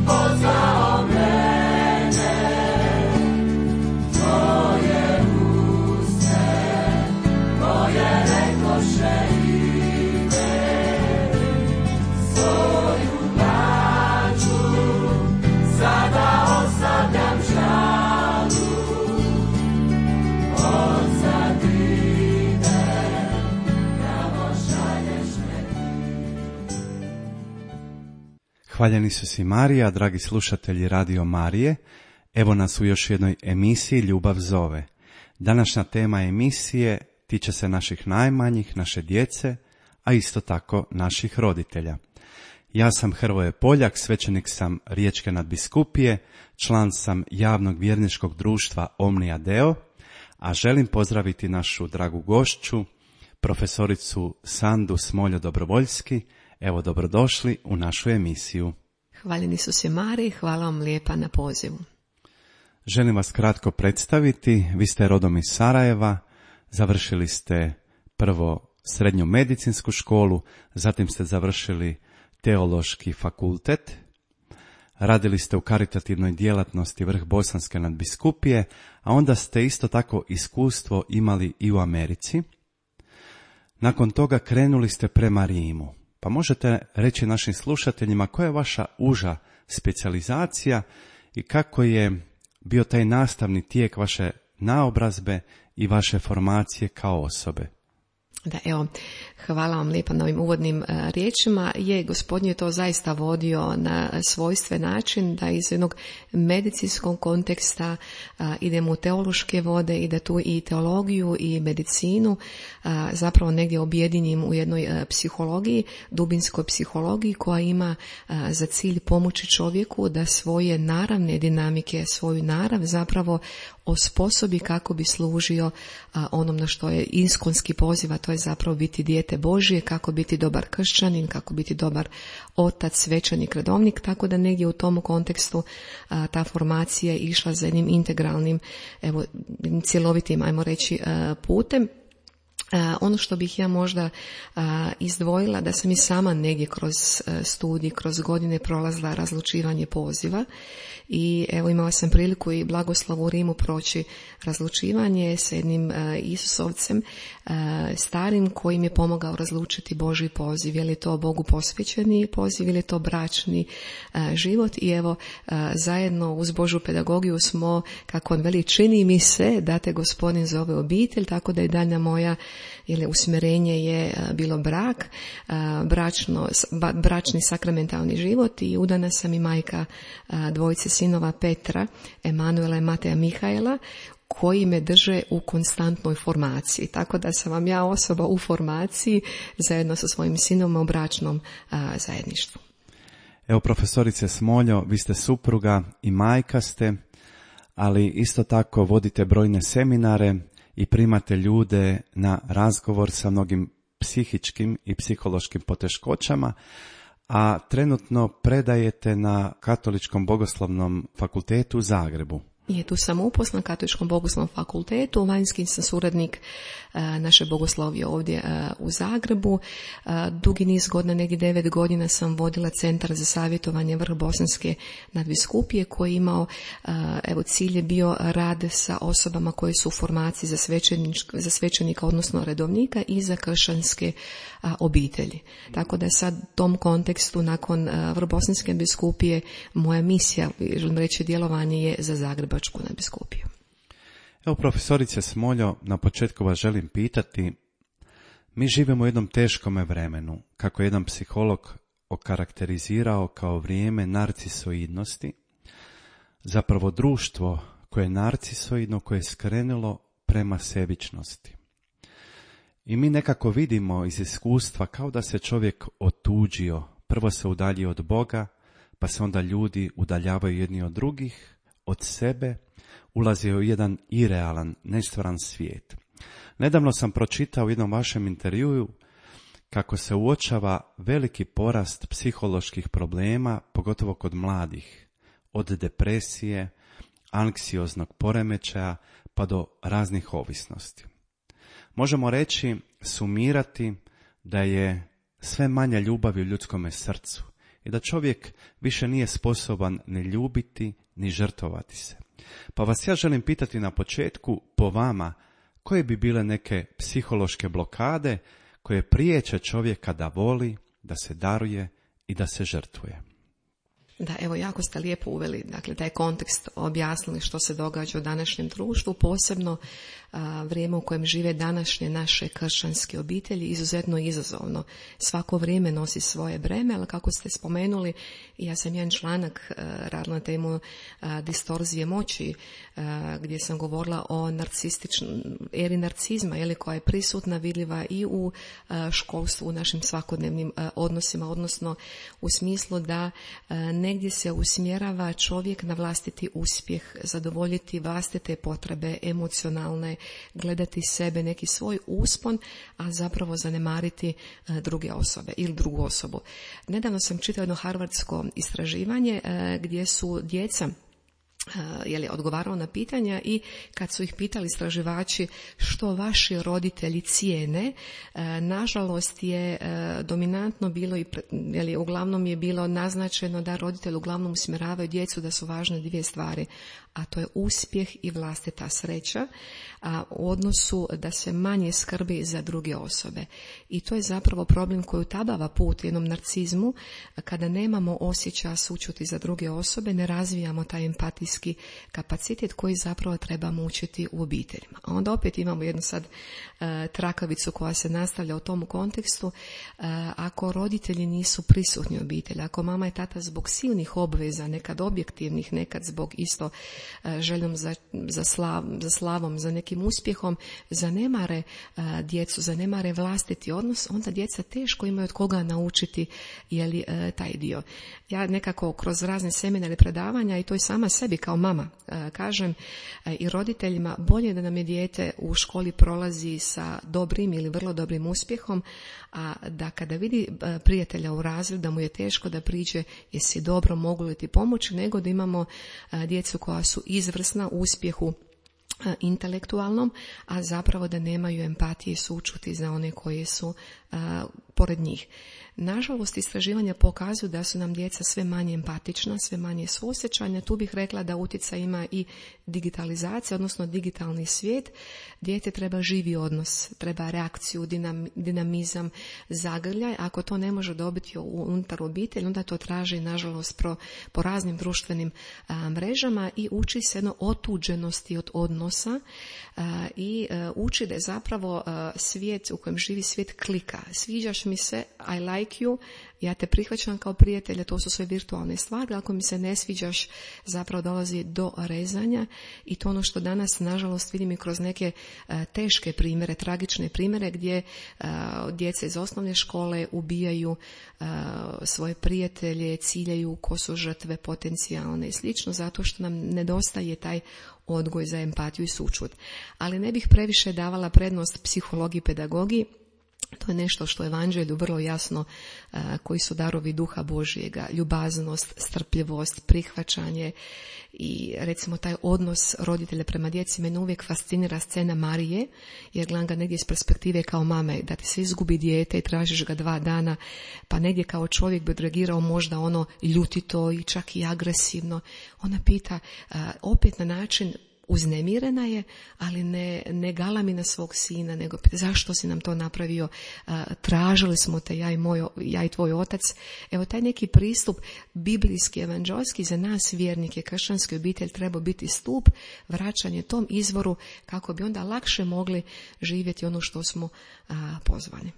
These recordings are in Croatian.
pozvao mene, tvoje uste, koje rekoše ide, svoju braću sada ostavljam žalu, odsad idem, pravo šalješ me ti. Hvaljeni su si Marija, dragi slušatelji Radio Marije. Evo nas u još jednoj emisiji Ljubav zove. Današnja tema emisije tiče se naših najmanjih, naše djece, a isto tako naših roditelja. Ja sam Hrvoje Poljak, svećenik sam Riječke nadbiskupije, član sam javnog vjerničkog društva Omnia Deo, a želim pozdraviti našu dragu gošću, profesoricu Sandu Smoljo Dobrovoljski. Evo, dobrodošli u našu emisiju. Hvaljeni su se Mariji, hvala vam lijepa na pozivu. Želim vas kratko predstaviti. Vi ste rodom iz Sarajeva, završili ste prvo srednju medicinsku školu, zatim ste završili teološki fakultet, radili ste u karitativnoj djelatnosti Vrh Bosanske nadbiskupije, a onda ste isto tako iskustvo imali i u Americi. Nakon toga krenuli ste prema Rimu. Pa možete reći našim slušateljima koja je vaša uža specijalizacija i kako je bio taj nastavni tijek vaše naobrazbe i vaše formacije kao osobe? Da, evo, hvala vam lijepa na ovim uvodnim riječima. Gospodin je to zaista vodio na svojstven način, da iz jednog medicinskog konteksta idemo u teološke vode i da tu i teologiju i medicinu zapravo negdje objedinjim u jednoj psihologiji, dubinskoj psihologiji koja ima za cilj pomoći čovjeku da svoje naravne dinamike, svoju narav zapravo osposobi kako bi služio onom na što je iskonski poziv, a to je zapravo biti dijete Božje, kako biti dobar kršćanin, kako biti dobar otac, svećenik, redovnik, tako da negdje u tom kontekstu ta formacija je išla za jednim integralnim, evo, cjelovitim, ajmo reći, putem. Ono što bih ja možda izdvojila, da sam i sama negdje kroz studij, kroz godine prolazila razlučivanje poziva i evo imala sam priliku i blagoslov u Rimu proći razlučivanje s jednim Isusovcem starim koji mi je pomogao razlučiti Božji poziv, je li to Bogu posvećeni poziv ili je to bračni život i evo zajedno uz Božju pedagogiju smo, kako on veli, čini mi se da te Gospodin zove obitelj, tako da je daljnja moja ili usmjerenje je bilo brak, bračni sakramentalni život i udana sam i majka dvojice sinova Petra, Emanuela i Mateja Mihajla, koji me drže u konstantnoj formaciji. Tako da sam vam ja osoba u formaciji zajedno sa svojim sinom u bračnom zajedništvu. Evo, profesorice Smoljo, vi ste supruga i majka ste, ali isto tako vodite brojne seminare i primate ljude na razgovor sa mnogim psihičkim i psihološkim poteškoćama, a trenutno predajete na Katoličkom bogoslovnom fakultetu u Zagrebu. I tu sam uposlan na Katoličkom bogoslovnom fakultetu, vanjski sam suradnik naše bogoslovije ovdje u Zagrebu. Dugi niz godina, negdje 9 godina sam vodila Centar za savjetovanje Vrh Bosanske nadbiskupije koji je imao, evo, cilj je bio rad sa osobama koje su u formaciji za svećenika, odnosno redovnika i za kršćanske obitelji. Tako da sad u tom kontekstu nakon Vrh Bosanske nadbiskupije moja misija, želim reći, djelovanje je za Zagrebačku nadbiskupiju. Evo, profesorice Smoljo, na početku vas želim pitati, mi živimo u jednom teškome vremenu, kako je jedan psiholog okarakterizirao kao vrijeme narcisoidnosti, zapravo društvo koje je narcisoidno, koje je skrenulo prema sebičnosti. I mi nekako vidimo iz iskustva kao da se čovjek otuđio, prvo se udaljio od Boga, pa se onda ljudi udaljavaju jedni od drugih, od sebe, ulazio u jedan irealan, nestvaran svijet. Nedavno sam pročitao u jednom vašem intervjuu kako se uočava veliki porast psiholoških problema, pogotovo kod mladih, od depresije, anksioznog poremećaja pa do raznih ovisnosti. Možemo reći, sumirati da je sve manje ljubavi u ljudskome srcu i da čovjek više nije sposoban ni ljubiti ni žrtvovati se. Pa vas ja želim pitati na početku, po vama, koje bi bile neke psihološke blokade koje priječe čovjeka da voli, da se daruje i da se žrtvuje? Da, evo, jako ste lijepo uveli, dakle, taj kontekst, objasnili što se događa u današnjem društvu, posebno vrijeme u kojem žive današnje naše kršćanske obitelji, izuzetno izazovno. Svako vrijeme nosi svoje breme, ali kako ste spomenuli, ja sam jedan članak radila na temu distorzije moći, gdje sam govorila o eri narcizma, koja je prisutna, vidljiva i u školstvu, u našim svakodnevnim odnosima, odnosno u smislu da negdje se usmjerava čovjek na vlastiti uspjeh, zadovoljiti vlastite potrebe emocionalne, gledati sebe, neki svoj uspon, a zapravo zanemariti druge osobe ili drugu osobu. Nedavno sam čitala jedno harvardsko istraživanje gdje su djeca odgovarao na pitanja i kad su ih pitali istraživači što vaši roditelji cijene, nažalost je dominantno bilo i uglavnom je bilo naznačeno da roditelji uglavnom usmjeravaju djecu da su važne dvije stvari, a to je uspjeh i vlastita sreća, a u odnosu da se manje skrbi za druge osobe. I to je zapravo problem koji utabava put jednom narcizmu, kada nemamo osjećaja sućuti za druge osobe, ne razvijamo taj empatijski kapacitet koji zapravo trebamo učiti u obiteljima. A onda opet imamo jednu sad trakavicu koja se nastavlja u tom kontekstu. Ako roditelji nisu prisutni u obitelji, ako mama i tata zbog silnih obveza, nekad objektivnih, nekad zbog isto željom za slavom, za nekim uspjehom, zanemare djecu, zanemare vlastiti odnos, onda djeca teško imaju od koga naučiti taj dio. Ja nekako kroz razne seminare, predavanja i to i sama sebi kao mama kažem i roditeljima, bolje da nam je dijete u školi prolazi sa dobrim ili vrlo dobrim uspjehom, a da kada vidi prijatelja u razredu da mu je teško da priđe jesi dobro, mogu li ti pomoći, nego da imamo djecu koja su izvrsna u uspjehu intelektualnom, a zapravo da nemaju empatije i sućuti za one koji su pored njih. Nažalost, istraživanja pokazuju da su nam djeca sve manje empatična, sve manje suosjećanja. Tu bih rekla da utjecaj ima i digitalizacija, odnosno digitalni svijet. Dijete treba živi odnos, treba reakciju, dinamizam, zagrljaj. Ako to ne može dobiti unutar obitelji, onda to traži, nažalost, po raznim društvenim mrežama i uči se jedno otuđenosti od odnosa i uči da je zapravo svijet u kojem živi svijet klika. Sviđaš mi se, I like you, ja te prihvaćam kao prijatelja, to su sve virtualne stvari, ako mi se ne sviđaš, zapravo dolazi do rezanja i to ono što danas, nažalost, vidim i kroz neke teške primjere, tragične primjere gdje djeca iz osnovne škole ubijaju svoje prijatelje, ciljaju ko su žrtve potencijalne i slično, zato što nam nedostaje taj odgoj za empatiju i sućut. Ali ne bih previše davala prednost psihologiji i pedagogiji. To je nešto što je evanđelju vrlo jasno, koji su darovi duha Božjega, ljubaznost, strpljivost, prihvaćanje i recimo taj odnos roditelja prema djeci. Mene uvijek fascinira scena Marije, jer gledam ga negdje iz perspektive kao mame, da ti se izgubi dijete i tražiš ga 2 dana, pa negdje kao čovjek bi odreagirao možda ljutito i čak i agresivno. Ona pita opet na način, uznemirena je, ali ne galami na svog sina, nego pita zašto si nam to napravio, tražili smo te ja i tvoj otac. Evo taj neki pristup biblijski, evanđelski za nas vjernike, kršćanske obitelj treba biti stup, vraćanje tom izvoru kako bi onda lakše mogli živjeti ono što smo pozvani.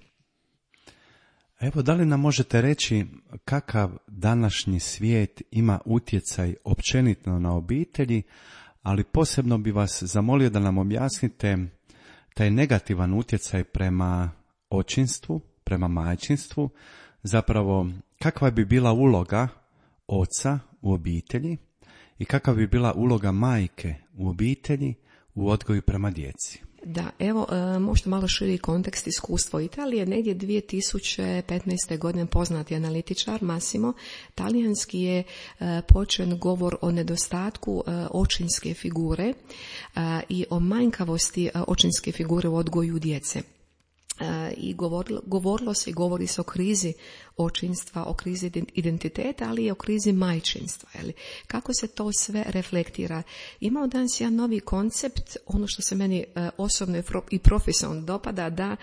Evo, da li nam možete reći kakav današnji svijet ima utjecaj općenito na obitelji, ali posebno bi vas zamolio da nam objasnite taj negativan utjecaj prema očinstvu, prema majčinstvu, zapravo kakva bi bila uloga oca u obitelji i kakva bi bila uloga majke u obitelji u odgoju prema djeci. Da, evo, možda malo širi kontekst iskustva Italije. Negdje 2015. godine poznati analitičar Massimo talijanski je počen govor o nedostatku očinske figure i o manjkavosti očinske figure u odgoju djece. i govorilo se i govori se o krizi očinstva, o krizi identiteta, ali i o krizi majčinstva. Kako se to sve reflektira? Imamo danas jedan novi koncept, ono što se meni osobno i profesionalno dopada, da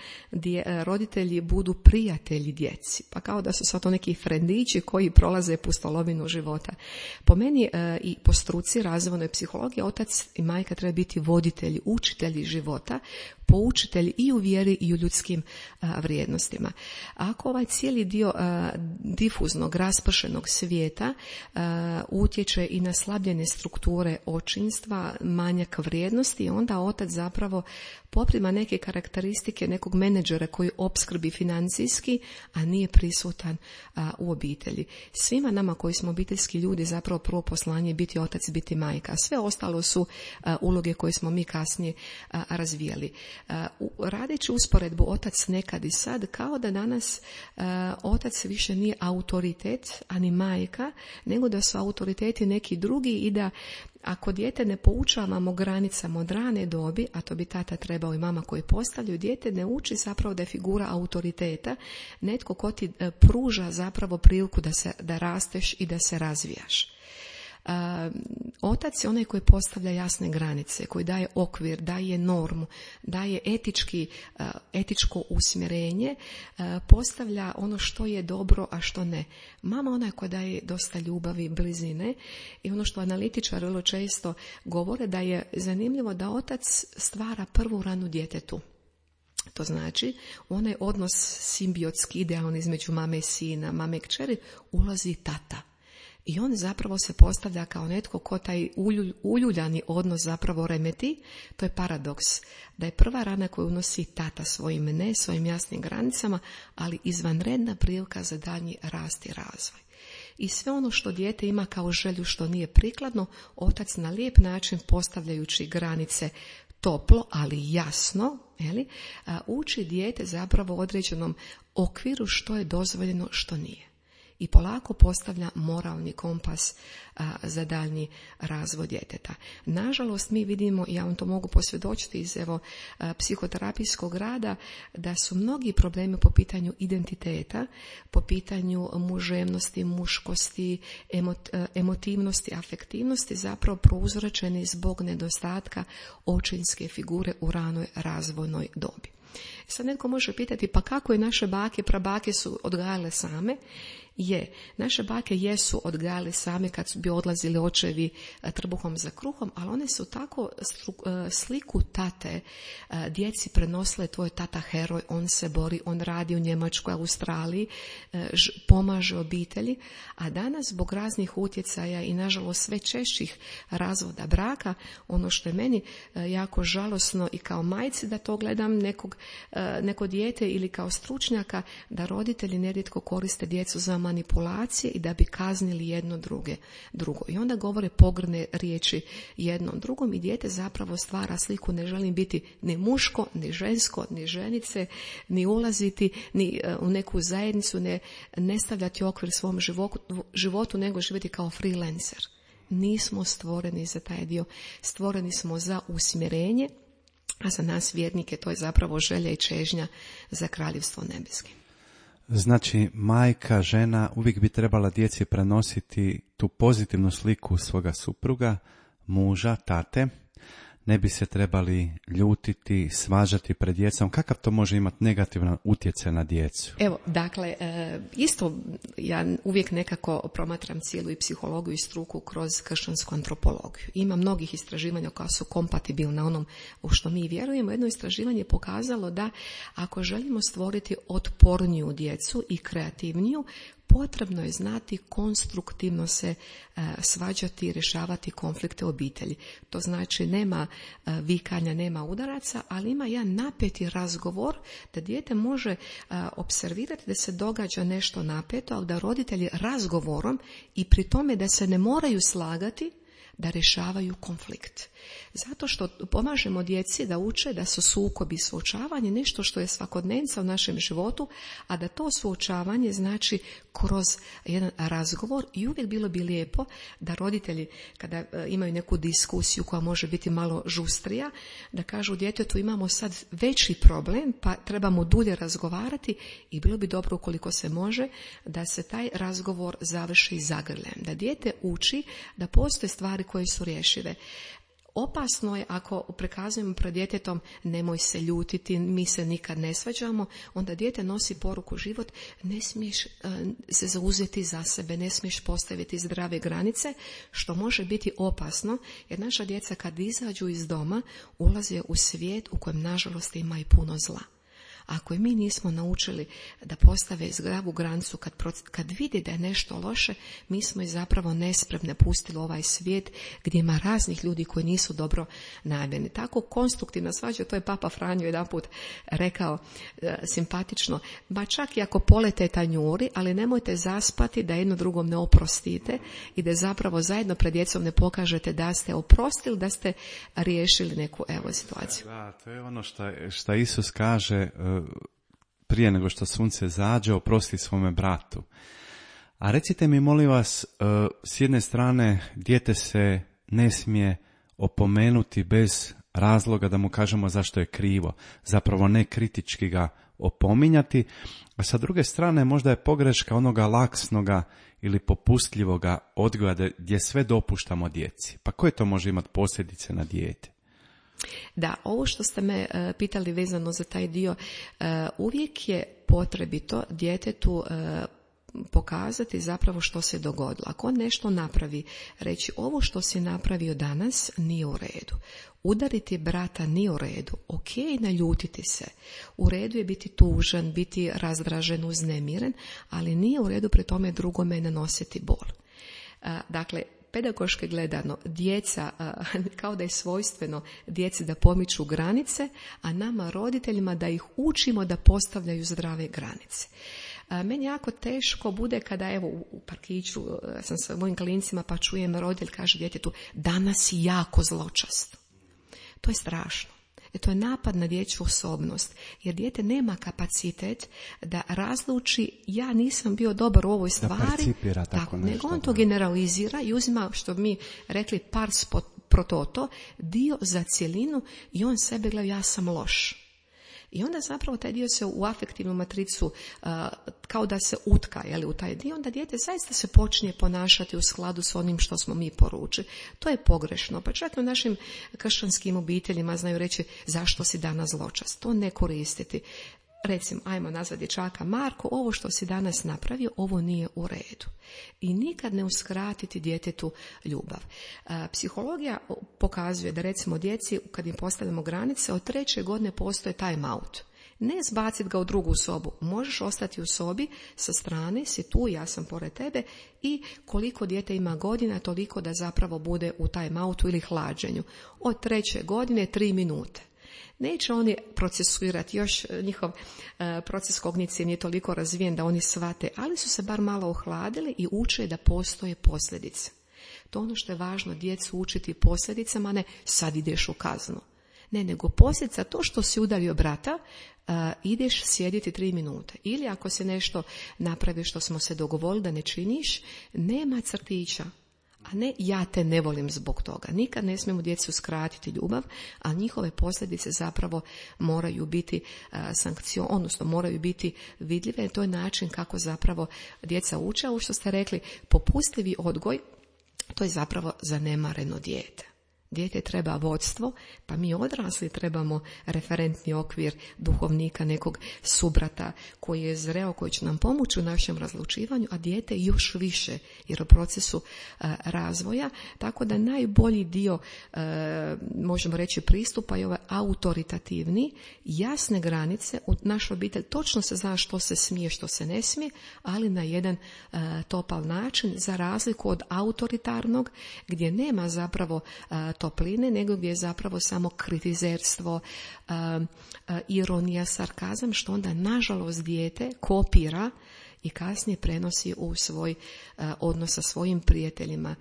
roditelji budu prijatelji djeci. Pa kao da su sad to neki frendići koji prolaze pustolovinu života. Po meni i po struci razvojnoj psihologiji, otac i majka treba biti voditelji, učitelji života, poučitelji i u vjeri i u ljudskim vrijednostima. Ako ovaj cijeli dio difuznog, raspršenog svijeta utječe i na slabljene strukture očinstva, manjak vrijednosti, onda otac zapravo poprima neke karakteristike nekog menadžera koji opskrbi financijski, a nije prisutan u obitelji. Svima nama koji smo obiteljski ljudi zapravo prvo poslanje je biti otac, biti majka. Sve ostalo su uloge koje smo mi kasnije razvijali. Radeći usporedbu otac nekad i sad, kao da danas otac više nije autoritet, ani majka, nego da su autoriteti neki drugi i da ako dijete ne poučavamo granicama od rane dobi, a to bi tata trebao i mama koji postavljaju, dijete ne uči zapravo da je figura autoriteta, netko ko ti pruža zapravo priliku da rasteš i da se razvijaš. Otac je onaj koji postavlja jasne granice, koji daje okvir, daje normu, daje etičko usmjerenje, postavlja ono što je dobro, a što ne. Mama ona koja daje dosta ljubavi, blizine, i ono što analitičari vrlo često govore, da je zanimljivo da otac stvara prvu ranu djetetu. To znači, onaj odnos simbiotski, idealni između mame i sina, mame i kćeri, ulazi tata. I on zapravo se postavlja kao netko ko taj uljuljani odnos zapravo remeti. To je paradoks, da je prva rana koju unosi tata svojim jasnim granicama, ali izvanredna prilika za daljnji rast i razvoj. I sve ono što dijete ima kao želju što nije prikladno, otac na lijep način postavljajući granice toplo, ali jasno, uči dijete zapravo u određenom okviru što je dozvoljeno, što nije. I polako postavlja moralni kompas za daljnji razvoj djeteta. Nažalost, mi vidimo, ja vam to mogu posvjedočiti iz psihoterapijskog rada, da su mnogi problemi po pitanju identiteta, po pitanju muževnosti, muškosti, emotivnosti, afektivnosti zapravo prouzročeni zbog nedostatka očinske figure u ranoj razvojnoj dobi. Sad netko može pitati, pa kako je naše bake, prabake su odgajale same? Naše bake jesu odgajale same kad bi odlazili očevi trbuhom za kruhom, ali one su tako sliku tate djeci prenosile: tvoj tata heroj, on se bori, on radi u Njemačkoj, Australiji, pomaže obitelji, a danas zbog raznih utjecaja i nažalost sve češćih razvoda braka, ono što je meni jako žalosno i kao majci da to gledam neko dijete ili kao stručnjaka, da roditelji nerijetko koriste djecu za manipulacije i da bi kaznili jedno drugo. I onda govore pogrdne riječi jednom drugom i dijete zapravo stvara sliku: ne želim biti ni muško, ni žensko, ni ženice, ni ulaziti ni u neku zajednicu, ne stavljati okvir svom životu, nego živjeti kao freelancer. Nismo stvoreni za taj dio, stvoreni smo za usmjerenje, a za nas vjernike to je zapravo želja i čežnja za kraljevstvo nebeske. Znači, majka, žena uvijek bi trebala djeci prenositi tu pozitivnu sliku svoga supruga, muža, tate. Ne bi se trebali ljutiti, svađati pred djecom. Kakav to može imati negativan utjecaj na djecu? Evo, dakle, isto ja uvijek nekako promatram cijelu i psihologiju i struku kroz kršćansku antropologiju. Ima mnogih istraživanja koja su kompatibilna onom u što mi vjerujemo. Jedno istraživanje je pokazalo da ako želimo stvoriti otporniju djecu i kreativniju, potrebno je znati konstruktivno se svađati i rješavati konflikte u obitelji. To znači nema vikanja, nema udaraca, ali ima jedan napeti razgovor da dijete može observirati da se događa nešto napeto, ali da roditelji razgovorom i pri tome da se ne moraju slagati, da rješavaju konflikt. Zato što pomažemo djeci da uče da su sukobi i suočavanje nešto što je svakodnevnica u našem životu, a da to suočavanje znači kroz jedan razgovor i uvijek bilo bi lijepo da roditelji kada imaju neku diskusiju koja može biti malo žustrija, da kažu djetetu imamo sad veći problem pa trebamo dulje razgovarati i bilo bi dobro ukoliko se može da se taj razgovor završi zagrljem. Da dijete uči da postoje stvari koje su rješive. Opasno je ako prikazujemo pred djetetom nemoj se ljutiti, mi se nikad ne svađamo, onda dijete nosi poruku život, ne smiješ se zauzeti za sebe, ne smiješ postaviti zdrave granice, što može biti opasno, jer naša djeca kad izađu iz doma ulaze u svijet u kojem nažalost ima i puno zla. Ako i mi nismo naučili da postave zdravu granicu kad vidi da je nešto loše, mi smo i zapravo nespremne pustili ovaj svijet gdje ima raznih ljudi koji nisu dobro namjerni. Tako konstruktivna svađa, to je Papa Franjo jedanput rekao simpatično, ba čak i ako polete tanjuri, ali nemojte zaspati da jedno drugom ne oprostite i da zapravo zajedno pred djecom ne pokažete da ste oprostili, da ste riješili neku situaciju. Da, to je ono što Isus kaže prije nego što sunce zađe, oprosti svome bratu. A recite mi, molim vas, s jedne strane, dijete se ne smije opomenuti bez razloga da mu kažemo zašto je krivo. Zapravo ne kritički ga opominjati, a sa druge strane možda je pogreška onoga laksnoga ili popustljivoga odgoja gdje sve dopuštamo djeci. Pa koje to može imati posljedice na dijete? Da, ovo što ste me pitali vezano za taj dio, uvijek je potrebito djetetu pokazati zapravo što se dogodilo. Ako on nešto napravi, reći ovo što si napravio danas nije u redu. Udariti brata nije u redu. Ok, naljutiti se. U redu je biti tužan, biti razdražen, uznemiren, ali nije u redu pri tome drugome nanositi bol. Dakle, pedagoški gledano, djeca, kao da je svojstveno djeci da pomiču granice, a nama roditeljima da ih učimo da postavljaju zdrave granice. Meni jako teško bude kada evo u parkiću sam sa mojim klincima pa čujem roditelj kaže djetetu danas si jako zločast. To je strašno. To je napad na dječju osobnost, jer dijete nema kapacitet da razluči ja nisam bio dobar u ovoj stvari, tako, nego on to generalizira i uzima, što bi mi rekli, pars pro toto, dio za cjelinu i on sebe gleda ja sam loš. I onda zapravo taj dio se u afektivnu matricu kao da se utka u taj dio, onda dijete zaista se počinje ponašati u skladu s onim što smo mi poručili. To je pogrešno, pa čak i u našim kršćanskim obiteljima znaju reći zašto si danas zločast. To ne koristiti. Recimo, ajmo nazvat dječaka Marko, ovo što si danas napravio, ovo nije u redu. I nikad ne uskratiti djetetu ljubav. Psihologija pokazuje da recimo djeci, kad im postavljamo granice, od 3. godine postoje time out. Ne zbaciti ga u drugu sobu. Možeš ostati u sobi, sa strane si tu, ja sam pored tebe i koliko dijete ima godina, toliko da zapravo bude u time outu ili hlađenju. Od 3. godine 3 minute. Neće oni procesuirati, još njihov proces kognicije nije toliko razvijen da oni shvate, ali su se bar malo ohladili i uče da postoje posljedice. To ono što je važno, djecu učiti posljedicama, ne sad ideš u kaznu. Ne, nego posljedica to što si udario brata, ideš sjediti 3 minute. Ili ako se nešto napravi što smo se dogovorili da ne činiš, nema crtića. A ne ja te ne volim zbog toga. Nikad ne smijemo djecu skratiti ljubav, a njihove posljedice zapravo moraju biti odnosno moraju biti vidljive. To je način kako zapravo djeca uče. Ovo što ste rekli, popustljivi odgoj, to je zapravo zanemareno dijete. Dijete treba vodstvo, pa mi odrasli trebamo referentni okvir duhovnika, nekog subrata koji je zreo, koji će nam pomoći u našem razlučivanju, a dijete još više, jer u procesu razvoja, tako da najbolji dio, možemo reći, pristupa je ovaj autoritativni, jasne granice. U našoj obitelji točno se zna što se smije, što se ne smije, ali na jedan topal način, za razliku od autoritarnog, gdje nema zapravo topline, nego gdje je zapravo samo kritizerstvo, ironija, sarkazam, što onda nažalost dijete kopira i kasnije prenosi u svoj odnos sa svojim prijateljima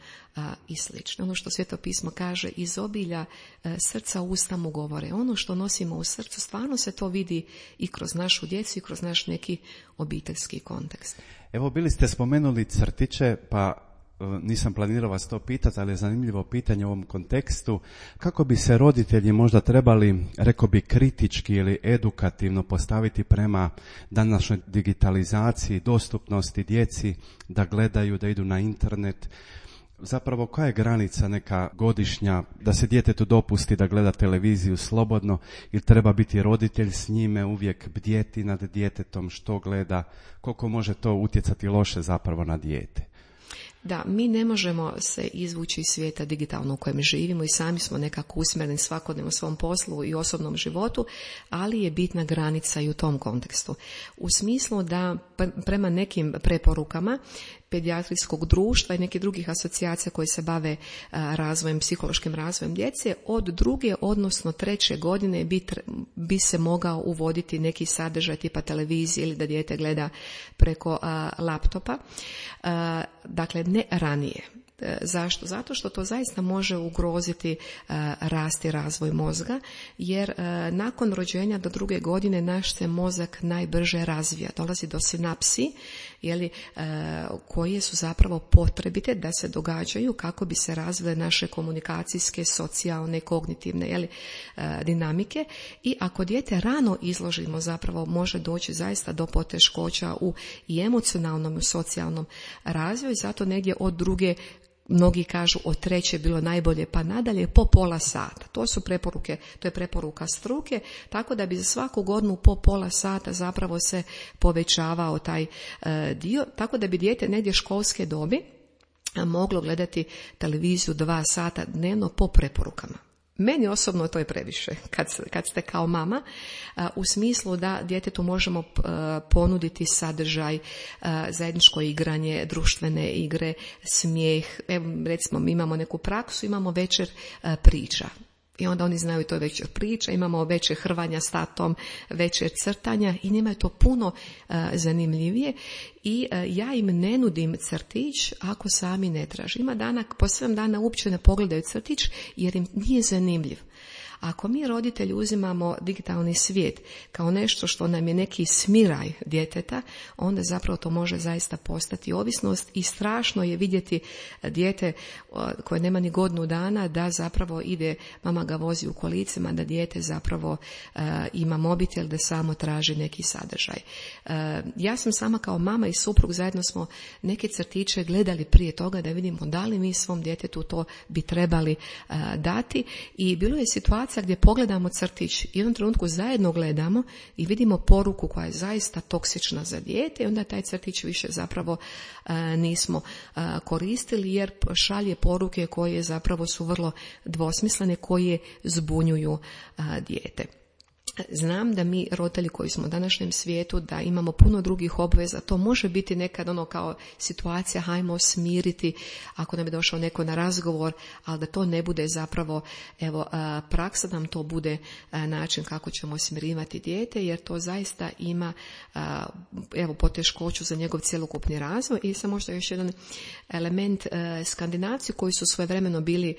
i slično. Ono što Sveto pismo kaže, iz obilja srca usta mu govore. Ono što nosimo u srcu, stvarno se to vidi i kroz našu djecu i kroz naš neki obiteljski kontekst. Evo, bili ste spomenuli crtiće, pa nisam planirao vas to pitati, ali je zanimljivo pitanje u ovom kontekstu. Kako bi se roditelji možda trebali, rekao bi, kritički ili edukativno postaviti prema današnjoj digitalizaciji, dostupnosti djeci, da gledaju, da idu na internet? Zapravo, koja je granica neka godišnja da se djetetu dopusti da gleda televiziju slobodno, ili treba biti roditelj s njime, uvijek bdjeti nad djetetom, što gleda, koliko može to utjecati loše zapravo na dijete? Da, mi ne možemo se izvući iz svijeta digitalno u kojem živimo i sami smo nekako usmjereni svakodnevno u svom poslu i osobnom životu, ali je bitna granica i u tom kontekstu. U smislu da prema nekim preporukama pedijatrijskog društva i nekih drugih asocijacija koje se bave razvojem, psihološkim razvojem djece, od 2. odnosno 3. godine bi se mogao uvoditi neki sadržaj tipa televizije ili da dijete gleda preko laptopa. Dakle, ne ranije. Zašto? Zato što to zaista može ugroziti rast i razvoj mozga, jer nakon rođenja do 2. godine naš se mozak najbrže razvija. Dolazi do sinapsi, koje su zapravo potrebite da se događaju kako bi se razvile naše komunikacijske, socijalne, kognitivne dinamike. I ako dijete rano izložimo, zapravo može doći zaista do poteškoća u i emocionalnom i socijalnom razvoju. Zato negdje od 2. mnogi kažu od 3. bilo najbolje, pa nadalje po pola sata. To su preporuke, to je preporuka struke, tako da bi za svaku godinu po pola sata zapravo se povećavao taj dio, tako da bi dijete negdje školske dobi moglo gledati televiziju 2 sata dnevno po preporukama. Meni osobno to je previše kad ste kao mama, u smislu da djetetu možemo ponuditi sadržaj, zajedničko igranje, društvene igre, smijeh. Evo, recimo, mi imamo neku praksu, imamo večer priča. I onda oni znaju to je večer priča, imamo večer hrvanja s tatom, večer crtanja i njima je to puno zanimljivije. I ja im ne nudim crtić ako sami ne traže. Ima dana, po 7 dana uopće ne pogledaju crtić jer im nije zanimljiv. Ako mi roditelji uzimamo digitalni svijet kao nešto što nam je neki smiraj djeteta, onda zapravo to može zaista postati ovisnost i strašno je vidjeti dijete koje nema ni godinu dana da zapravo ide, mama ga vozi u kolicima, da dijete zapravo ima mobitel, da samo traži neki sadržaj. Ja sam sama kao mama i suprug, zajedno smo neke crtiće gledali prije toga da vidimo da li mi svom djetetu to bi trebali dati i bilo je situacija gdje pogledamo crtić i u jednom trenutku zajedno gledamo i vidimo poruku koja je zaista toksična za dijete i onda taj crtić više zapravo nismo koristili jer šalje poruke koje zapravo su vrlo dvosmislene, koje zbunjuju dijete. Znam da mi roditelji koji smo u današnjem svijetu da imamo puno drugih obveza, to može biti nekad kao situacija hajmo smiriti ako nam je došao neko na razgovor, ali da to ne bude zapravo praksa, da nam to bude način kako ćemo smirivati dijete, jer to zaista ima poteškoću za njegov cjelokupni razvoj. I sam možda još jedan element, Skandinavci koji su svojevremeno bili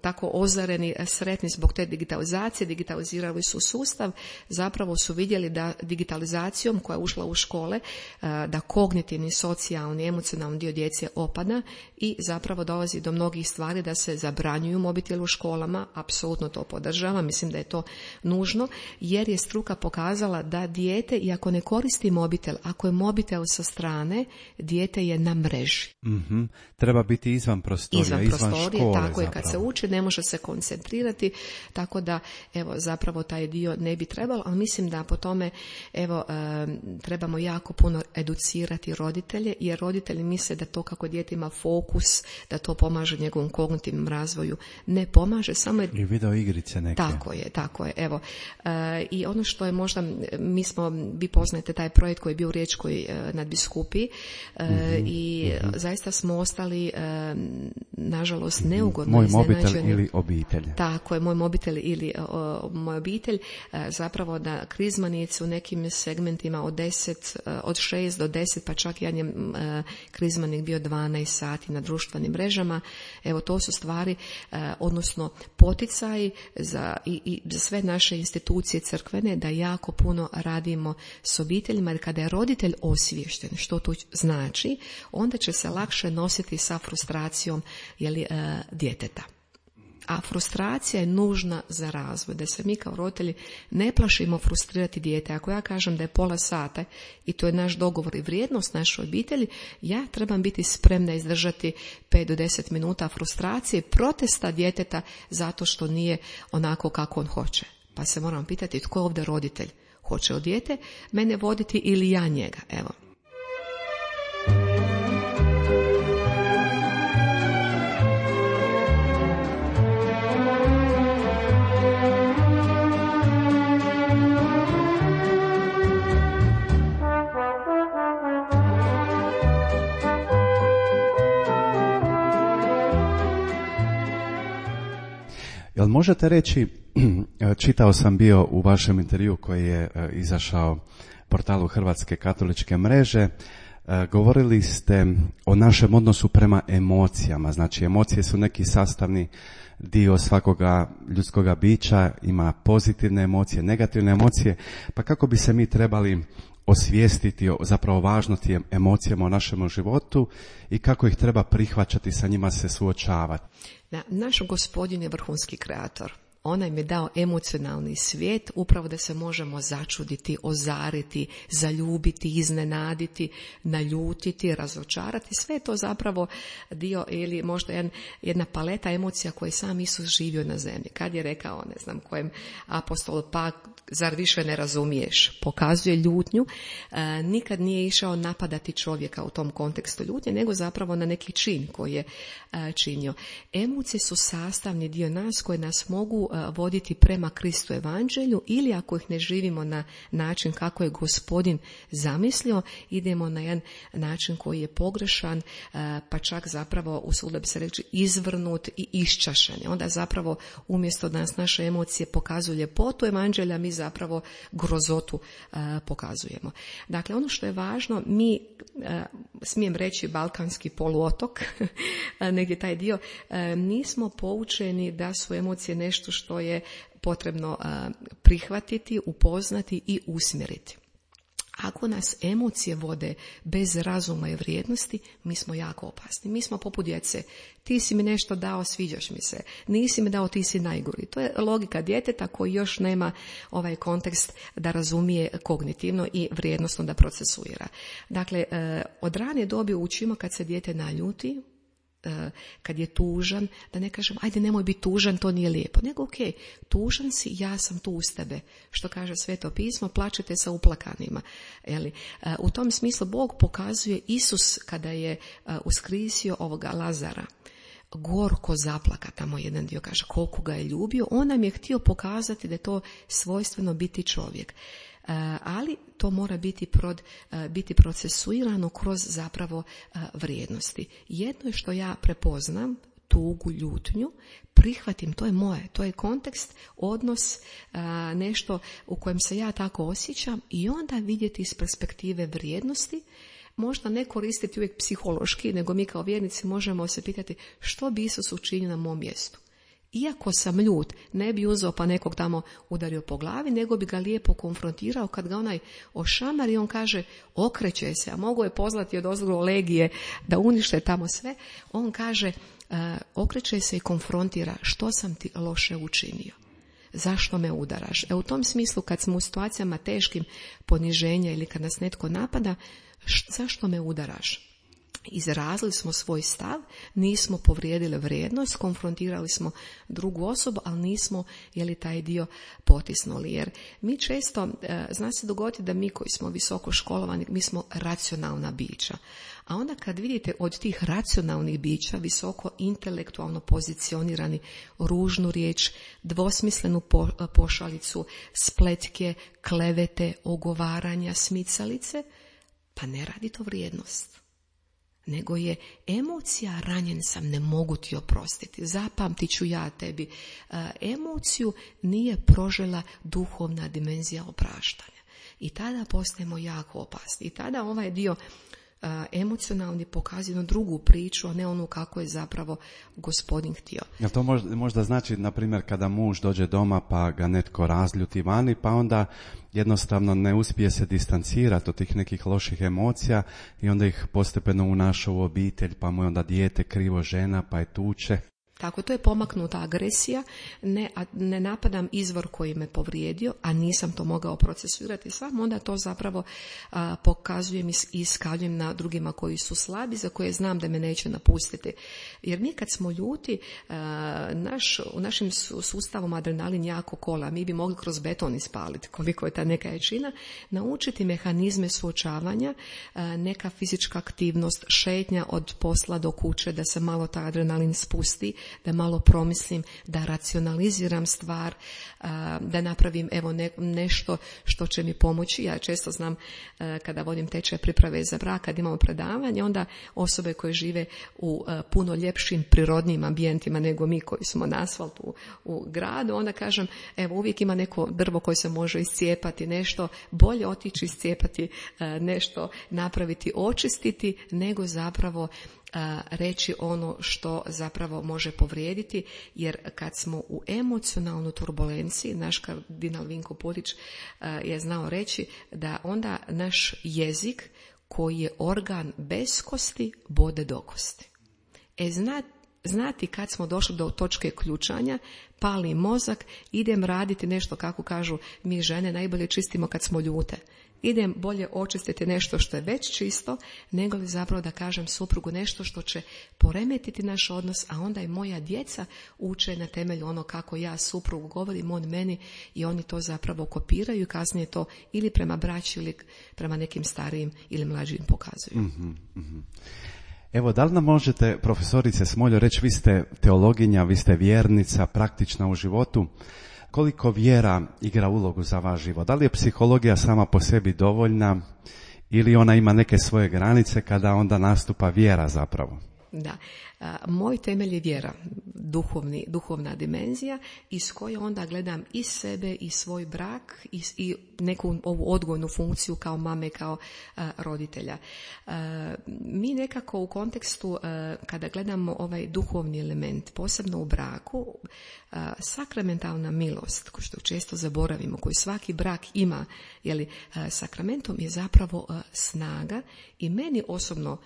tako ozareni, sretni zbog te digitalizacije, digitalizirali su sustav, zapravo su vidjeli da digitalizacijom koja je ušla u škole, da kognitivni, socijalni, emocionalni dio djece opada i zapravo dolazi do mnogih stvari da se zabranjuju mobitel u školama. Apsolutno to podržavam, mislim da je to nužno, jer je struka pokazala da dijete, iako ne koristi mobitel, ako je mobitel sa strane, dijete je na mreži. Mm-hmm. Treba biti izvan prostorija, izvan škole. Tako je, kad se uči ne može se koncentrirati, tako da zapravo taj dio ne bi trebalo, ali mislim da po tome trebamo jako puno educirati roditelje, jer roditelji misle da to kako dijete ima fokus, da to pomaže njegovom kognitivnom razvoju. Ne pomaže, samo je... I video igrice neke. Tako je. I ono što je možda, vi poznajete taj projekt koji je bio u Riječkoj nadbiskupiji i zaista smo ostali nažalost neugodno Moj iznenađeni. mobitel ili obitelj. Tako je, moj mobitel ili moja obitelj. obitelj, zapravo da krizmanici u nekim segmentima od 6 do 10, pa čak jedan je krizmanik bio 12 sati na društvenim mrežama. Evo, to su stvari, odnosno poticaji za sve naše institucije crkvene da jako puno radimo s obiteljima, jer kada je roditelj osviješten što to znači, onda će se lakše nositi sa frustracijom djeteta. A frustracija je nužna za razvoj, da se mi kao roditelji ne plašimo frustrirati dijete. Ako ja kažem da je pola sata i to je naš dogovor i vrijednost našoj obitelji, ja trebam biti spremna izdržati 5 do 10 minuta frustracije, protesta djeteta zato što nije onako kako on hoće. Pa se moram pitati tko je ovdje roditelj? Hoće li dijete mene voditi ili ja njega? Evo. Jel možete reći, čitao sam bio u vašem intervju koji je izašao portalu Hrvatske katoličke mreže, govorili ste o našem odnosu prema emocijama. Znači, emocije su neki sastavni dio svakoga ljudskoga bića, ima pozitivne emocije, negativne emocije, pa kako bi se mi trebali osvijestiti o zapravo važnosti emocijama u našem životu i kako ih treba prihvaćati, sa njima se suočavati. Naš Gospodin je vrhunski kreator. On nam je dao emocionalni svijet upravo da se možemo začuditi, ozariti, zaljubiti, iznenaditi, naljutiti, razočarati. Sve je to zapravo dio ili možda jedna paleta emocija koje sam Isus živio na zemlji. Kad je rekao, ne znam kojem apostolu, pa zar više ne razumiješ? Pokazuje ljutnju. Nikad nije išao napadati čovjeka u tom kontekstu ljutnje, nego zapravo na neki čin koji je činio. Emocije su sastavni dio nas koje nas mogu voditi prema Kristu evanđelju, ili ako ih ne živimo na način kako je Gospodin zamislio, idemo na jedan način koji je pogrešan, pa čak zapravo, usudio bi se reći, izvrnut i iščašen. Onda zapravo umjesto da nas naše emocije pokazuju ljepotu evanđelja, mi zapravo grozotu pokazujemo. Dakle, ono što je važno, mi, smijem reći, balkanski poluotok, negdje taj dio, nismo poučeni da su emocije nešto što je potrebno prihvatiti, upoznati i usmjeriti. Ako nas emocije vode bez razuma i vrijednosti, mi smo jako opasni. Mi smo poput djece. Ti si mi nešto dao, sviđaš mi se. Nisi mi dao, ti si najgori. To je logika djeteta koji još nema ovaj kontekst da razumije kognitivno i vrijednosno da procesuira. Dakle, od rane dobi učimo kad se dijete naljuti, kad je tužan, da ne kažem ajde nemoj biti tužan, to nije lijepo, nego ok, tužan si, ja sam tu uz tebe, što kaže Sveto pismo, plačete sa uplakanima. U tom smislu Bog pokazuje, Isus kada je uskrisio ovoga Lazara, gorko zaplaka, tamo jedan dio kaže koliko ga je ljubio, on nam je htio pokazati da je to svojstveno biti čovjek. Ali to mora biti procesuirano kroz zapravo vrijednosti. Jedno je što ja prepoznam, tugu, ljutnju, prihvatim, to je moje, to je kontekst, odnos, nešto u kojem se ja tako osjećam, i onda vidjeti iz perspektive vrijednosti, možda ne koristiti uvijek psihološki, nego mi kao vjernici možemo se pitati što bi Isus učinio na mom mjestu. Iako sam ljut, ne bi uzeo pa nekog tamo udario po glavi, nego bi ga lijepo konfrontirao. Kad ga onaj ošamari, on kaže okreće se, a mogo je pozvati od ozgo legije da unište tamo sve. On kaže okreće se i konfrontira, što sam ti loše učinio. Zašto me udaraš? U tom smislu kad smo u situacijama teškim poniženja ili kad nas netko napada, zašto me udaraš? Izrazili smo svoj stav, nismo povrijedili vrijednost, konfrontirali smo drugu osobu, ali nismo taj dio potisnuli. Jer mi često, zna se dogoditi da mi koji smo visoko školovani, mi smo racionalna bića. A onda kad vidite od tih racionalnih bića, visoko intelektualno pozicionirani, ružnu riječ, dvosmislenu pošalicu, spletke, klevete, ogovaranja, smicalice, pa ne radi to vrijednost. nego je emocija ranjen sam, ne mogu ti oprostiti, zapamtit ću ja tebi. Emociju nije prožela duhovna dimenzija opraštanja. I tada postajemo jako opasni. I tada ovaj dio emocionalni pokazuje jednu drugu priču, a ne onu kako je zapravo Gospodin htio. Jel to možda znači, na primjer, kada muž dođe doma pa ga netko razljuti vani, pa onda jednostavno ne uspije se distancirati od tih nekih loših emocija i onda ih postepeno unaša u obitelj, pa mu je onda dijete krivo žena, pa je tuče? Tako, to je pomaknuta agresija, ne napadam izvor koji me povrijedio, a nisam to mogao procesuirati sam, onda to zapravo pokazujem i iskaljujem na drugima koji su slabi, za koje znam da me neće napustiti. Jer mi kad smo ljuti, u našim sustavom adrenalin jako kola, mi bi mogli kroz beton ispaliti koliko je ta neka jačina, naučiti mehanizme suočavanja, neka fizička aktivnost, šetnja od posla do kuće, da se malo ta adrenalin spusti, da malo promislim, da racionaliziram stvar, da napravim nešto što će mi pomoći. Ja često znam kada vodim tečaj priprave za brak, kad imamo predavanje, onda osobe koje žive u puno ljepšim prirodnim ambijentima nego mi koji smo na asfaltu u gradu, onda kažem, uvijek ima neko drvo koje se može iscijepati, nešto bolje otići iscijepati, nešto napraviti, očistiti, nego zapravo reći ono što zapravo može povrijediti, jer kad smo u emocionalnoj turbulenciji, naš kardinal Vinko Pulić je znao reći da onda naš jezik, koji je organ bez kosti, bode do kosti. Znati kad smo došli do točke ključanja, pali mozak, idem raditi nešto, kako kažu mi žene, najbolje čistimo kad smo ljute. Idem bolje očistiti nešto što je već čisto, nego li zapravo da kažem suprugu nešto što će poremetiti naš odnos, a onda i moja djeca uče na temelju ono kako ja suprugu govorim, on meni, i oni to zapravo kopiraju i kasnije to ili prema braći ili prema nekim starijim ili mlađim pokazuju. Mm-hmm. Evo, da li nam možete, profesorice Smoljo, reći, vi ste teologinja, vi ste vjernica, praktična u životu, koliko vjera igra ulogu za vaš život? Da li je psihologija sama po sebi dovoljna ili ona ima neke svoje granice kada onda nastupa vjera zapravo? Da, moj temelj je vjera, duhovna dimenzija, iz koje onda gledam i sebe i svoj brak i neku ovu odgojnu funkciju kao mame, kao roditelja. Mi nekako u kontekstu, kada gledamo ovaj duhovni element, posebno u braku, sakramentalna milost, što često zaboravimo, koju svaki brak ima, sakramentom je zapravo snaga, i meni osobno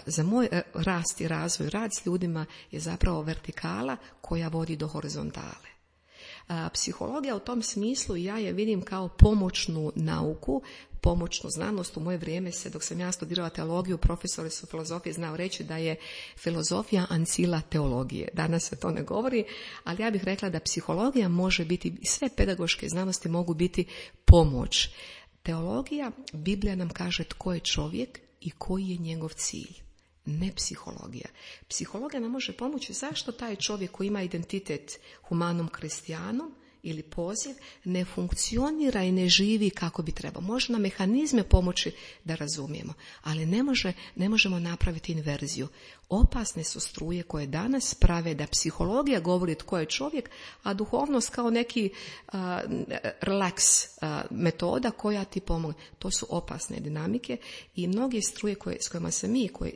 za moj rast i razvoj, rad s ljudima je zapravo vertikala koja vodi do horizontale. Psihologija u tom smislu ja je vidim kao pomoćnu nauku, pomoćnu znanost. U moje vrijeme dok sam ja studirala teologiju, profesori su filozofije znao reći da je filozofija ancila teologije. Danas se to ne govori, ali ja bih rekla da psihologija može biti, sve pedagoške znanosti mogu biti pomoć. Teologija, Biblija nam kaže tko je čovjek i koji je njegov cilj, ne psihologija. Psihologija nam može pomoći zašto taj čovjek koji ima identitet humanom kristijanom ili poziv ne funkcionira i ne živi kako bi trebao. Može nam mehanizme pomoći da razumijemo, ali ne možemo napraviti inverziju. Opasne su struje koje danas prave da psihologija govori tko je čovjek, a duhovnost kao neki relax metoda koja ti pomogne. To su opasne dinamike i mnoge struje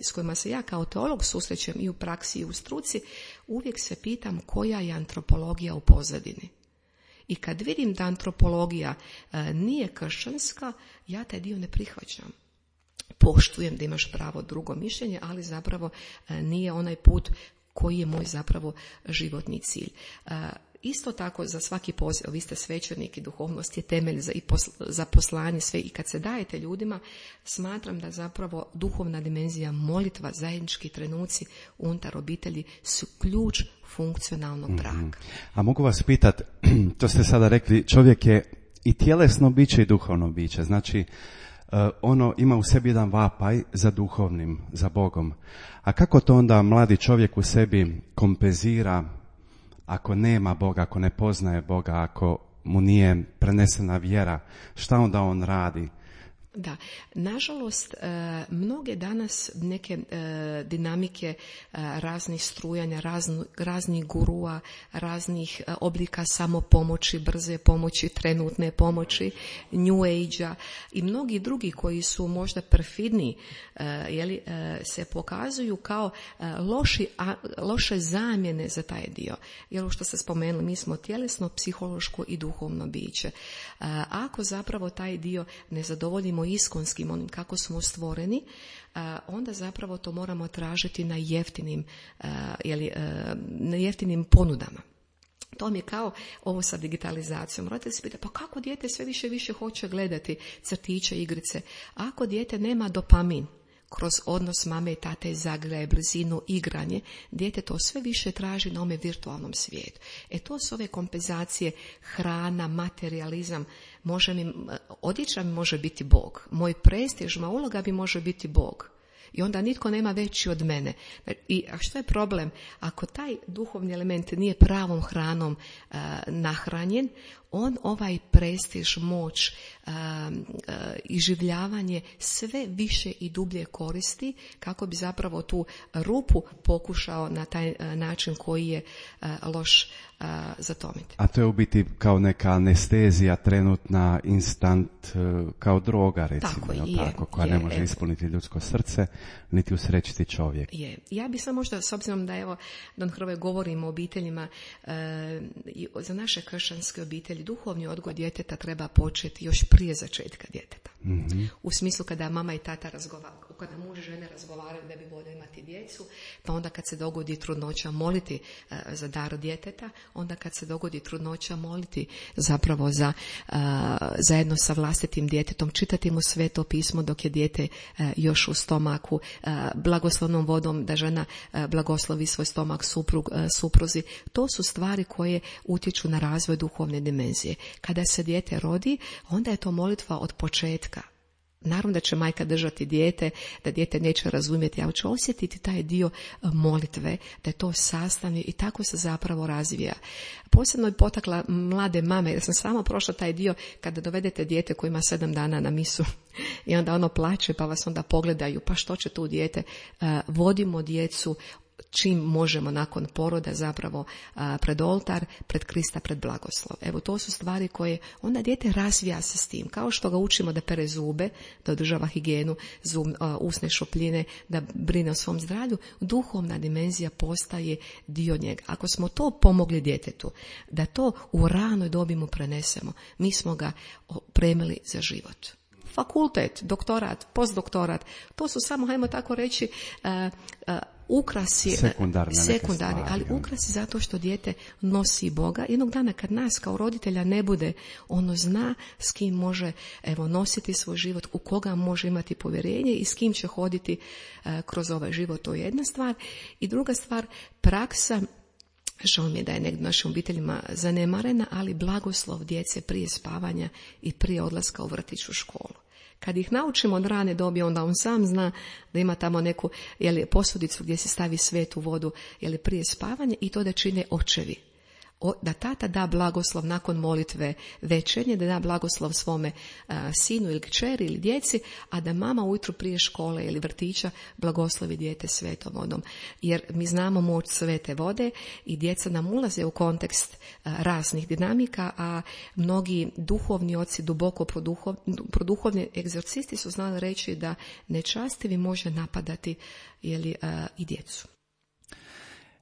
s kojima se ja kao teolog susrećem i u praksi i u struci, uvijek se pitam koja je antropologija u pozadini. I kad vidim da antropologija nije kršćanska, ja taj dio ne prihvaćam. Poštujem da imaš pravo drugo mišljenje, ali zapravo nije onaj put koji je moj zapravo životni cilj. Isto tako za svaki poziv, vi ste svećenik i duhovnost je temelj za poslanje sve, i kad se dajete ljudima, smatram da zapravo duhovna dimenzija, molitva, zajednički trenuci unutar obitelji su ključ funkcionalnog braka. A mogu vas pitati, to ste sada rekli, čovjek je i tjelesno biće i duhovno biće, znači ono ima u sebi jedan vapaj za duhovnim, za Bogom. A kako to onda mladi čovjek u sebi kompenzira ako nema Boga, ako ne poznaje Boga, ako mu nije prenesena vjera, šta onda on radi? Da, nažalost, mnoge danas neke dinamike raznih strujanja, raznih gurua, raznih oblika samopomoći, brze pomoći, trenutne pomoći, New Age-a i mnogi drugi koji su možda perfidni, se pokazuju kao loše zamjene za taj dio. Jer što ste spomenuli, mi smo tjelesno, psihološko i duhovno biće. Ako zapravo taj dio ne zadovoljimo iskonskim, onim kako smo stvoreni, onda zapravo to moramo tražiti na jeftinim ponudama. To mi je kao ovo sa digitalizacijom. Morate se pitati, pa kako dijete sve više i više hoće gledati crtiće, igrice? Ako dijete nema dopamin, kroz odnos mame i tate, zagrljaje, blizinu, igranje, dijete to sve više traži na ome virtualnom svijetu. To su ove kompenzacije, hrana, materijalizam. Odjeća mi može biti Bog. Moj prestiž, moja uloga bi može biti Bog. I onda nitko nema veći od mene. A što je problem? Ako taj duhovni element nije pravom hranom nahranjen, on ovaj prestiž, moć, iživljavanje sve više i dublje koristi kako bi zapravo tu rupu pokušao na taj način koji je loš zatomiti. A to je u biti kao neka anestezija trenutna, instant, kao droga recimo, koja ne može ispuniti ljudsko srce niti usrećiti čovjek. Ja bi sam možda, s obzirom da Don Hrvoje govorimo o obiteljima, za naše kršćanske obitelji duhovni odgoj djeteta treba početi još prije začetka djeteta. Mm-hmm. U smislu kada mama i tata razgovaraju, kada muž i žene razgovaraju da bi volio imati djecu, pa onda kad se dogodi trudnoća moliti za dar djeteta, onda kad se dogodi trudnoća moliti zapravo zajedno sa vlastitim djetetom, čitati mu Sveto pismo dok je dijete još u stomaku, blagoslovnom vodom da žena blagoslovi svoj stomak supruzi. To su stvari koje utječu na razvoj duhovne dimenzije. Kada se dijete rodi, onda je to molitva od početka. Naravno da će majka držati dijete, da dijete neće razumjeti, ali će osjetiti taj dio molitve, da je to sastavni i tako se zapravo razvija. Posebno je potakla mlade mame, jer sam samo prošla taj dio kada dovedete dijete koje ima 7 dana na misu i onda ono plače pa vas onda pogledaju, pa što će tu dijete? Vodimo djecu čim možemo nakon poroda zapravo pred oltar, pred Krista, pred blagoslov. Evo, to su stvari koje onda dijete razvija se s tim. Kao što ga učimo da pere zube, da održava higijenu, usne šupljine, da brine o svom zdravlju, duhovna dimenzija postaje dio njega. Ako smo to pomogli djetetu, da to u ranoj dobi mu prenesemo, mi smo ga opremili za život. Fakultet, doktorat, postdoktorat, to su samo, hajmo tako reći, ukrasi, sekundarni, ali ukrasi zato što dijete nosi Boga. Jednog dana kad nas kao roditelja ne bude, ono zna s kim može nositi svoj život, u koga može imati povjerenje i s kim će hoditi kroz ovaj život. To je jedna stvar. I druga stvar, praksa, žao mi je da je negdje našim obiteljima zanemarena, ali blagoslov djece prije spavanja i prije odlaska u vrtić, u školu. Kad ih naučimo od rane dobi, onda on sam zna da ima tamo neku posudicu gdje se stavi svetu vodu prije spavanja i to da čine očevi. Da tata da blagoslov nakon molitve večernje, da da blagoslov svome sinu ili kćeri ili djeci, a da mama ujutro prije škole ili vrtića blagoslovi dijete svetom vodom. Jer mi znamo moć svete vode i djeca nam ulaze u kontekst raznih dinamika, a mnogi duhovni oci, duboko produhovni egzorcisti su znali reći da nečastivi može napadati i djecu.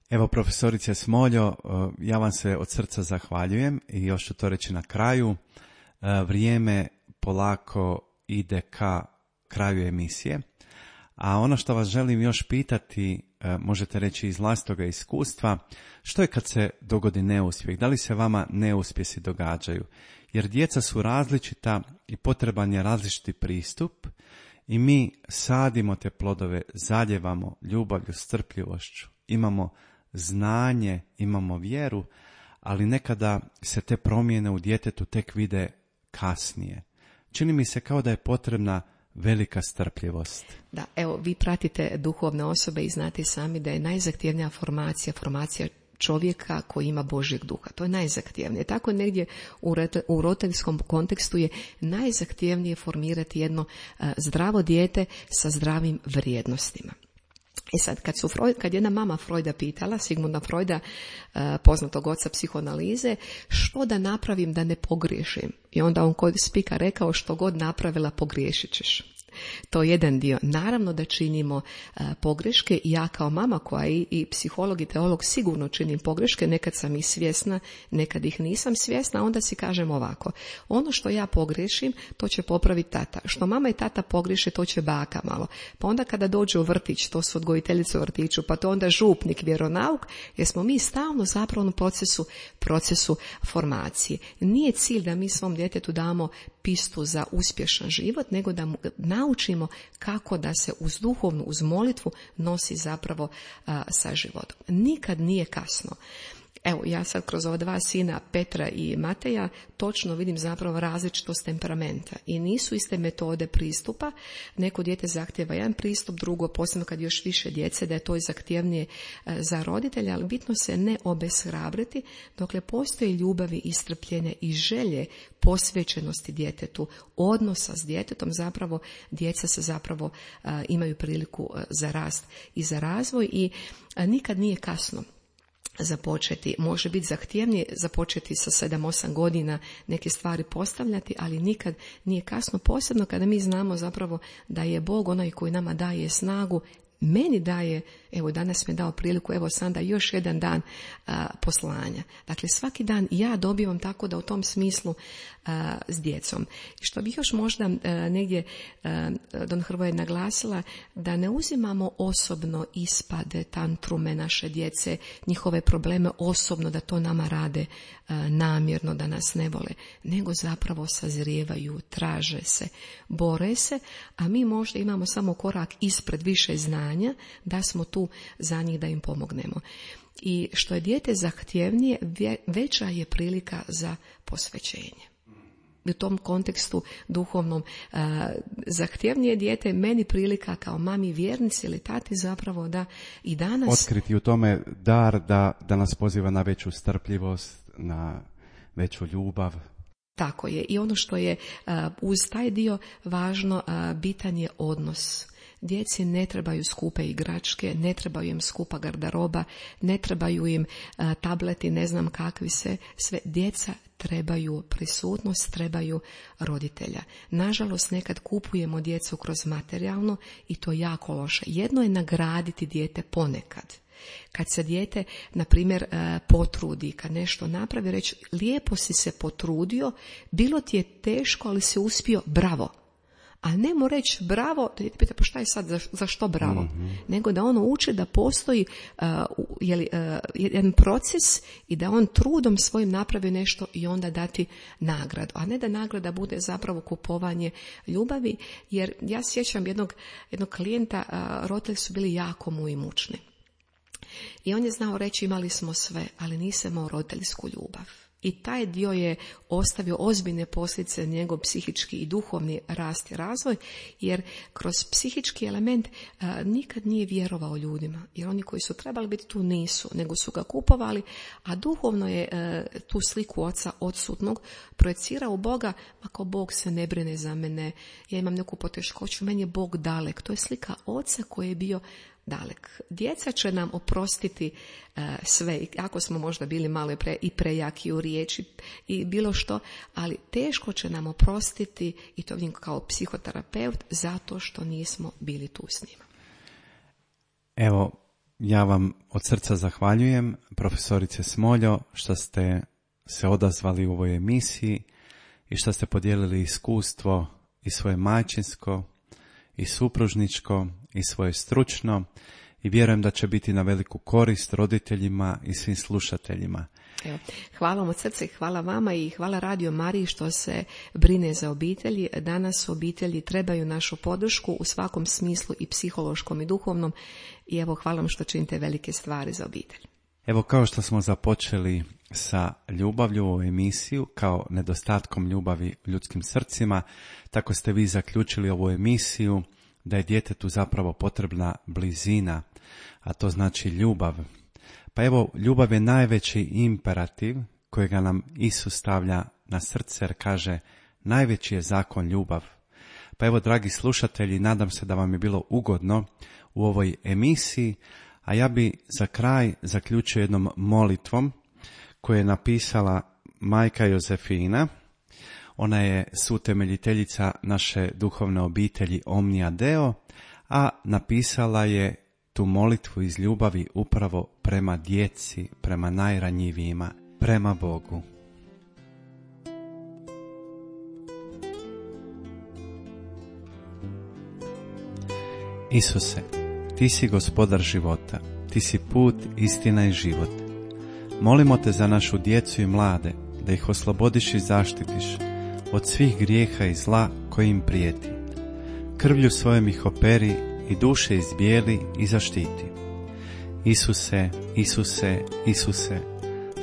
Evo, profesorice Smoljo, ja vam se od srca zahvaljujem i još ću to reći na kraju. Vrijeme polako ide ka kraju emisije, a ono što vas želim još pitati, možete reći iz vlastitoga iskustva, što je kad se dogodi neuspjeh? Da li se vama neuspjesi događaju? Jer djeca su različita i potreban je različiti pristup i mi sadimo te plodove, zaljevamo ljubavlju, strpljivošću, imamo znanje, imamo vjeru, ali nekada se te promjene u djetetu tek vide kasnije. Čini mi se kao da je potrebna velika strpljivost. Da, evo, vi pratite duhovne osobe i znate sami da je najzahtjevnija formacija čovjeka koji ima Božjeg duha. To je najzahtjevnije. Tako negdje u roditeljskom kontekstu je najzahtjevnije formirati jedno zdravo dijete sa zdravim vrijednostima. I sad, kad jedna mama Freuda pitala, Sigmunda Freuda, poznatog oca psihoanalize, što da napravim da ne pogriješim? I onda on kod spika rekao, što god napravila pogriješit ćeš. To je jedan dio. Naravno da činimo pogreške. Ja kao mama koja je i psiholog i teolog sigurno činim pogreške. Nekad sam ih svjesna, nekad ih nisam svjesna. Onda si kažem ovako. Ono što ja pogriješim, to će popraviti tata. Što mama i tata pogriješe, to će baka malo. Pa onda kada dođe u vrtić, to su odgojiteljice u vrtiću, pa to onda župnik, vjeronauk, jer smo mi stalno zapravo u procesu formacije. Nije cilj da mi svom djetetu damo pistu za uspješan život, nego da mu naučimo kako da se uz duhovnu, uz molitvu nosi zapravo sa životom. Nikad nije kasno. Evo, ja sad kroz ova dva sina, Petra i Mateja, točno vidim zapravo različitost temperamenta. I nisu iste metode pristupa. Neko dijete zahtjeva jedan pristup, drugo, posebno kad još više djece, da je to i zahtjevnije za roditelja, ali bitno se ne obeshrabriti, dokle postoji ljubavi i strpljenja i želje posvećenosti djetetu, odnosa s djetetom, zapravo djeca se zapravo imaju priliku za rast i za razvoj i nikad nije kasno započeti. Može biti zahtjevnije započeti sa 7-8 godina neke stvari postavljati, ali nikad nije kasno, posebno kada mi znamo zapravo da je Bog onaj koji nama daje snagu, meni daje, evo danas mi je dao priliku, evo sada još jedan dan poslanja. Dakle, svaki dan ja dobivam, tako da u tom smislu s djecom. I što bih još možda negdje Don Hrvoje naglasila, da ne uzimamo osobno ispade, tantrume naše djece, njihove probleme osobno, da to nama rade namjerno, da nas ne vole, nego zapravo sazrijevaju, traže se, bore se, a mi možda imamo samo korak ispred, više znanja, da smo tu za njih da im pomognemo. I što je dijete zahtjevnije, veća je prilika za posvećenje. U tom kontekstu duhovnom zahtjevnije dijete, meni prilika kao mami vjernici ili tati zapravo da i danas otkriti u tome dar da nas poziva na veću strpljivost, na veću ljubav. Tako je. I ono što je uz taj dio važno, bitan je odnos. Djeci ne trebaju skupe igračke, ne trebaju im skupa garderoba, ne trebaju im tableti, ne znam kakvi sve. Djeca trebaju prisutnost, trebaju roditelja. Nažalost, nekad kupujemo djecu kroz materijalno i to je jako loše. Jedno je nagraditi dijete ponekad. Kad se dijete, na primjer, potrudi, kad nešto napravi, reći lijepo si se potrudio, bilo ti je teško, ali si uspio, bravo. A ne mu reći bravo, da dijete pita pa šta je sad, za što bravo? Mm-hmm. Nego da ono uči da postoji jedan proces i da on trudom svojim napravi nešto i onda dati nagradu. A ne da nagrada bude zapravo kupovanje ljubavi, jer ja sjećam jednog klijenta, roditelji su bili jako mu imućni. I on je znao reći imali smo sve, ali nisam imao roditeljsku ljubav. I taj dio je ostavio ozbiljne posljedice na njegov psihički i duhovni rast i razvoj, jer kroz psihički element nikad nije vjerovao ljudima, jer oni koji su trebali biti tu nisu, nego su ga kupovali, a duhovno je tu sliku oca odsutnog projecirao u Boga, ako Bog se ne brine za mene, ja imam neku poteškoću, meni je Bog dalek. To je slika oca koji je bio dalek. Djeca će nam oprostiti sve, ako smo možda bili malo i prejaki u riječi i bilo što, ali teško će nam oprostiti, i to vidim kao psihoterapeut, zato što nismo bili tu s njima. Evo, ja vam od srca zahvaljujem, profesorice Smoljo, što ste se odazvali u ovoj emisiji i što ste podijelili iskustvo i svoje majčinsko i supružničko i svoje stručno, i vjerujem da će biti na veliku korist roditeljima i svim slušateljima. Evo, hvala vam od srca i hvala vama i hvala Radio Mariji što se brine za obitelji. Danas obitelji trebaju našu podršku u svakom smislu, i psihološkom i duhovnom, i evo hvala vam što činite velike stvari za obitelj. Evo, kao što smo započeli sa ljubavlju u emisiju, kao nedostatkom ljubavi u ljudskim srcima, tako ste vi zaključili ovu emisiju da je djetetu zapravo potrebna blizina, a to znači ljubav. Pa evo, ljubav je najveći imperativ kojega nam Isus stavlja na srce, jer kaže, najveći je zakon ljubav. Pa evo, dragi slušatelji, nadam se da vam je bilo ugodno u ovoj emisiji, a ja bi za kraj zaključio jednom molitvom koju je napisala majka Jozefina. Ona je suutemeljiteljica naše duhovne obitelji Omnia Deo, a napisala je tu molitvu iz ljubavi upravo prema djeci, prema najranjivijima, prema Bogu. Isuse, ti si gospodar života, ti si put, istina i život. Molimo te za našu djecu i mlade, da ih oslobodiš i zaštitiš od svih grijeha i zla koji im prijeti. Krvlju svojom ih operi i duše izbijeli i zaštiti. Isuse, Isuse, Isuse,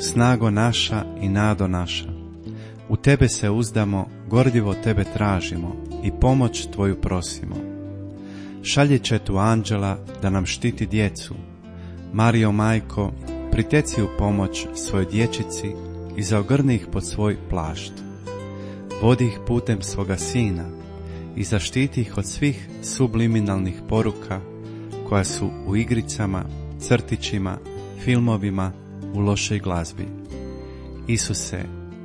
snago naša i nado naša, u tebe se uzdamo, gorljivo tebe tražimo i pomoć tvoju prosimo. Šalje četu anđela da nam štiti djecu. Marijo majko, priteci u pomoć svojoj dječici i zaogrni ih pod svoj plašt. Vodi ih putem svoga sina i zaštiti ih od svih subliminalnih poruka koja su u igricama, crtićima, filmovima, u lošoj glazbi. Isuse,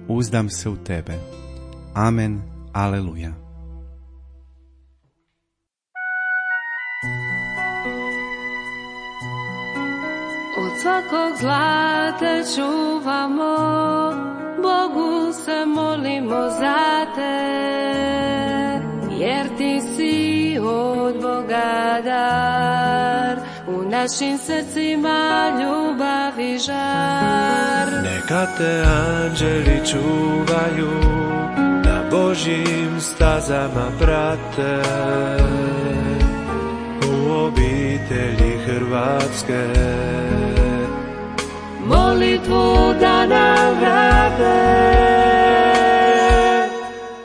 uzdam se u tebe. Amen. Aleluja. Od svakog zla te čuvamo, Bogu se molimo za te, jer ti si od Boga dar, u našim srcima ljubav i žar. Neka te anđeli čuvaju, na Božjim stazama prate, u obitelji Hrvatske molitvu da nam vrate.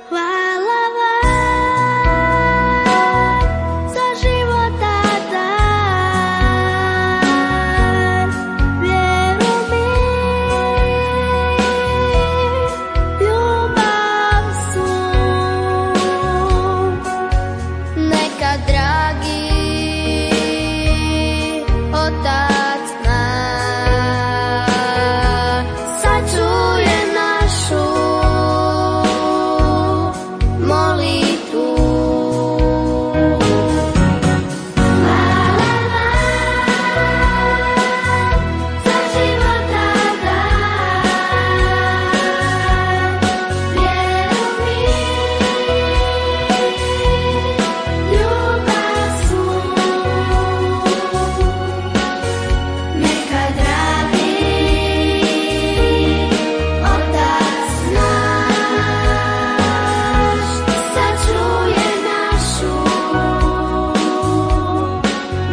Hvala vam za života dar, vjeru mi, ljubav su. Neka dragi Otac naš sačuje našu molitvu. Hvala vam za života dar, vjeru mi, ljubav su. Neka dragi Otac naš sačuje našu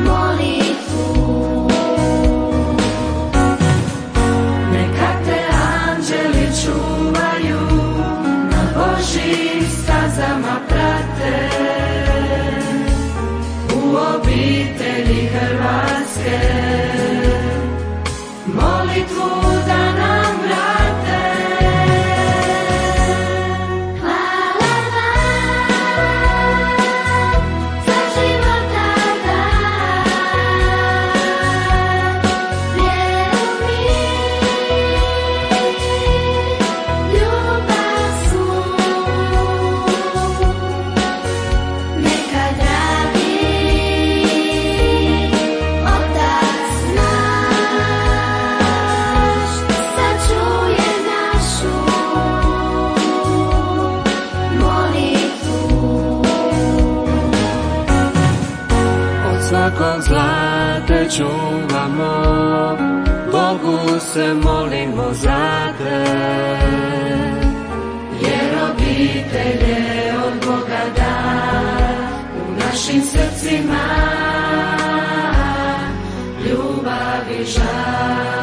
molitvu. Neka te anđeli čuvaju, na Božjim stazama prate, u obitelji Hrvatske molitvu da nam vrate. Hvala vam za života dar, vjeru mi, ljubav su. Neka dragi Otac naš sačuje našu molitvu. od svakog zla te čuvamo, Bogu se molimo za te, Jer obitelj je od Boga dar, u našim srcima ljubav i žar.